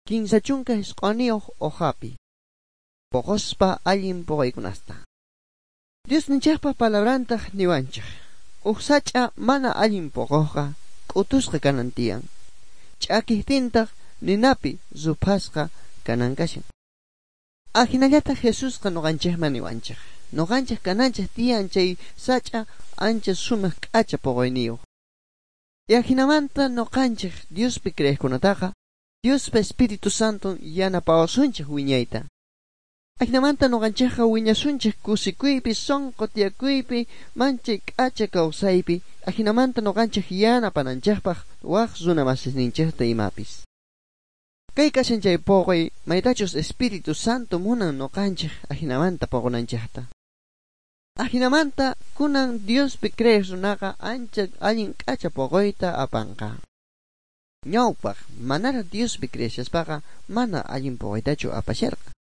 39 hojapi. Poqospa allin poqaykunasta. Diosninchikpa palabrantaq niwanchik. Uj sach'a mana allin poqoqqa k'utusqa kanan tiyan. Ch'akijtintaq ninapi ruphasqa kanan kashan. Ajinallataq Jesusqa nuqanchikman niwanchik. Nuqanchik kananchik tiyan chay sach'a ancha sumaq k'acha poqoyniyuq. Y ajinamanta nuqanchik Diospi creeqkunataqa Diospa Espíritu Santo yanapawasunchik wiñayta. Ajinamanta nuqanchikqa wiñasunchik kusikuypi, sunqu tiyakuypi, manchay k'acha kawsaypi, ajinamanta nuqanchik yanapananchikpaq waq runa masisninchikta imapis. Kay kashan chay poqoy maytachus Espíritu Santo munan nuqanchik ajinamanta poqonanchikta. Ajinamanta kunan Diospi creeq runaqa ancha allin k'acha poqoyta apanqa. Ñawpaq manaraq Diospi creeshaspaqa mana allin poqoytachu apasharqa.